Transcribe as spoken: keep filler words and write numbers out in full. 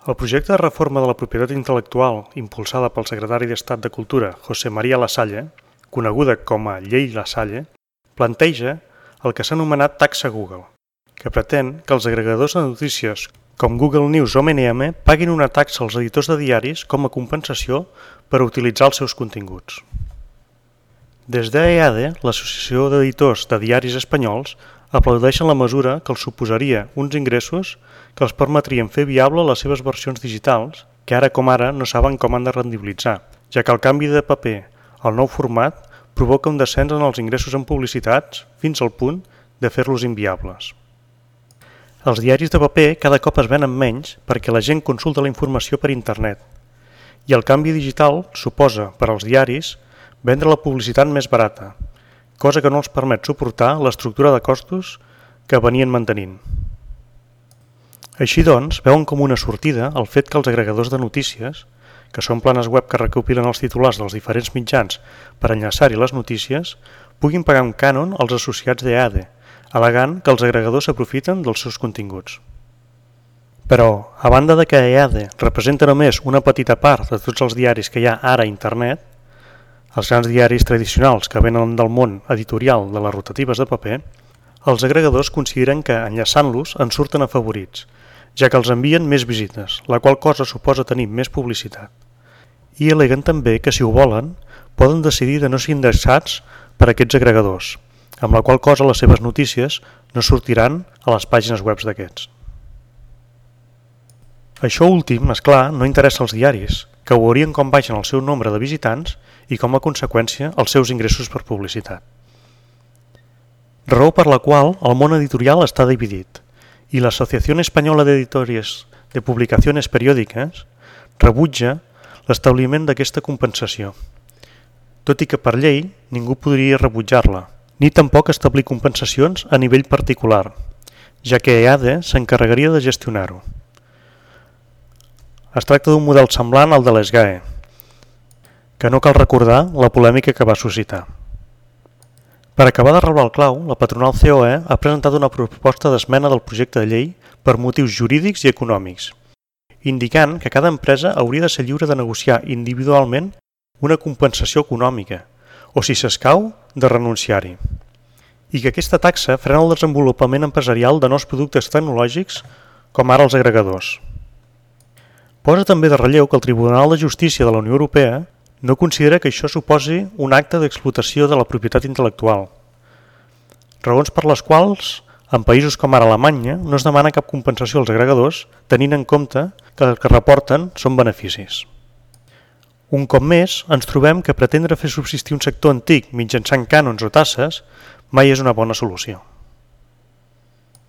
El projecte de reforma de la propietat intel·lectual impulsada pel secretari d'Estat de Cultura, José María Lasalle, coneguda com a Llei Lasalle, planteja el que s'ha anomenat taxa Google, que pretén que els agregadors de notícies com Google News o M and M paguin una taxa als editors de diaris com a compensació per utilitzar els seus continguts. Des d'E A D, l'Associació d'Editors de Diaris Espanyols, aplaudeixen la mesura que els suposaria uns ingressos que els permetrien fer viable les seves versions digitals, que ara com ara no saben com han de rendibilitzar, ja que el canvi de paper al nou format provoca un descens en els ingressos en publicitats fins al punt de fer-los inviables. Els diaris de paper cada cop es venen menys perquè la gent consulta la informació per internet i el canvi digital suposa, per als diaris, vendre la publicitat més barata, cosa que no els permet suportar l'estructura de costos que venien mantenint. Així doncs, veuen com una sortida el fet que els agregadors de notícies, que són planes web que recopilen els titulars dels diferents mitjans per enllaçar-hi les notícies, puguin pagar un cànon als associats d'E A D, al·legant que els agregadors s'aprofiten dels seus continguts. Però, a banda de que E A D representa només una petita part de tots els diaris que hi ha ara a internet, els grans diaris tradicionals que venen del món editorial de les rotatives de paper, els agregadors consideren que, enllaçant-los, en surten afavorits, ja que els envien més visites, la qual cosa suposa tenir més publicitat. I al·leguen també que, si ho volen, poden decidir de no ser indexats per aquests agregadors, amb la qual cosa les seves notícies no sortiran a les pàgines web d'aquests. Això últim, és clar, no interessa als diaris, que veurien com baixen el seu nombre de visitants i com a conseqüència els seus ingressos per publicitat. Raó per la qual el món editorial està dividit i l'Associació Espanyola d'Editores de Publicaciones Periòdiques rebutja l'establiment d'aquesta compensació, tot i que per llei ningú podria rebutjar-la, ni tampoc establir compensacions a nivell particular, ja que E A D s'encarregaria de gestionar-ho. Es tracta d'un model semblant al de l'S G A E, que no cal recordar la polèmica que va suscitar. Per acabar de reblar el clau, la patronal C O E ha presentat una proposta d'esmena del projecte de llei per motius jurídics i econòmics, indicant que cada empresa hauria de ser lliure de negociar individualment una compensació econòmica, o si s'escau, de renunciar-hi, i que aquesta taxa frena el desenvolupament empresarial de nous productes tecnològics com ara els agregadors. Posa també de relleu que el Tribunal de Justícia de la Unió Europea no considera que això suposi un acte d'explotació de la propietat intel·lectual, raons per les quals, en països com ara Alemanya, no es demana cap compensació als agregadors, tenint en compte que el que reporten són beneficis. Un cop més, ens trobem que pretendre fer subsistir un sector antic mitjançant cànons o tasses mai és una bona solució.